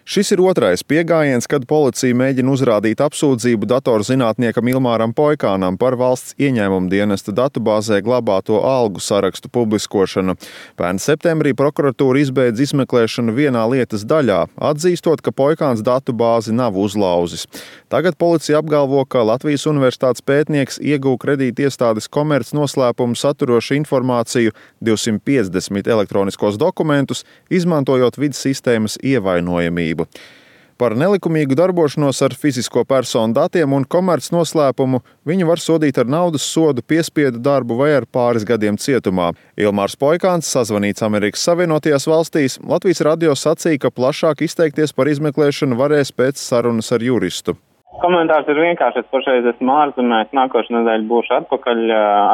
Šis ir otrais piegājiens, kad policija mēģina uzrādīt apsūdzību datorzinātniekam Ilmāram Poikānam par valsts ieņēmuma dienesta datubāzē glabāto algu sarakstu publiskošanu. Pērn septembrī prokuratūra izbeidza izmeklēšanu vienā lietas daļā, atzīstot, ka Poikāns datubāzi nav uzlauzis. Tagad policija apgalvo, ka Latvijas Universitātes pētnieks ieguva kredītiestādes komerc noslēpumu saturošu informāciju 250 elektroniskos dokumentus, izmantojot vides sistēmas ievainojamību. Par nelikumīgu darbošanos ar fizisko personu datiem un komerc noslēpumu viņu var sodīt ar naudas sodu, piespiedu darbu vai ar pāris gadiem cietumā. Ilmārs Poikāns, sazvanīts Amerikas Savienotajās valstīs, Latvijas radio sacīja, ka plašāk izteikties par izmeklēšanu varēs pēc sarunas ar juristu. Komentārs ir vienkārši, es pašreiz esmu ārzemēs, nākošu nedēļu būšu atpakaļ,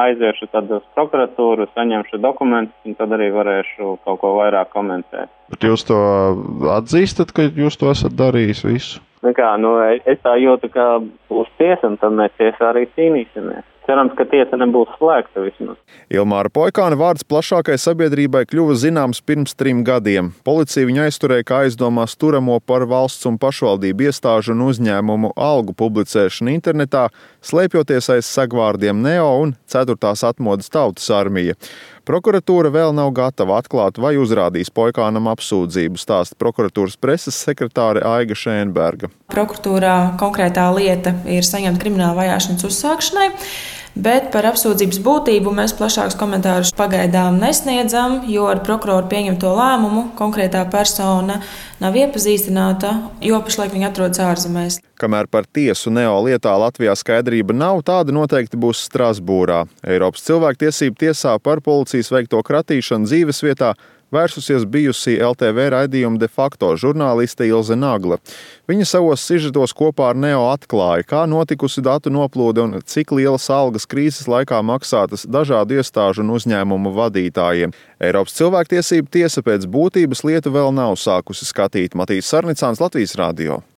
aiziešu tad uz prokuratūru, saņemšu dokumentus un tad arī varēšu kaut ko vairāk komentēt. Bet jūs to atzīstat, ka jūs to esat darījis visu? Es tā jūtu, ka būs tiesa un tad mēs tiesā arī cīnīsimies. Cerams, ka tiesa nebūs slēgta vismaz. Ilmāra Poikāna vārds plašākai sabiedrībai kļuva zināms pirms 3 gadiem. Policija viņu aizturēja kā aizdomās turamo par valsts un pašvaldību iestāžu un uzņēmumu algu publicēšanu internetā, slēpjoties aiz sagvārdiem Neo un 4. atmodas tautas armija. Prokuratūra vēl nav gatava atklāt vai uzrādīs Poikānam apsūdzību, stāsta prokuratūras preses sekretāre Aiga Šēnberga. Prokuratūrā konkrētā lieta ir saņemta krimināla vajāšanas uzsākšanai, bet par apsūdzības būtību mēs plašākus komentārus pagaidām nesniedzam, jo ar prokuroru pieņemto lēmumu konkrētā persona nav iepazīstināta, jo pašlaik viņa atrodas ārzemēs. Kamēr par tiesu Neo lietā Latvijā skaidrība nav, tāda noteikti būs Strasbūrā. Eiropas cilvēktiesību tiesā par policijas veikto kratīšanu dzīvesvietā vērsusies bijusī LTV raidījuma de facto žurnāliste Ilze Nagla. Viņa savos sižetos kopā ar Neo atklāja, kā notikusi datu noplūde un cik lielas algas krīzes laikā maksātas dažādu iestāžu un uzņēmumu vadītājiem. Eiropas cilvēktiesību tiesa pēc būtības lietu vēl nav sākusi skatīt. Matīs Sarnicāns, Latvijas radio.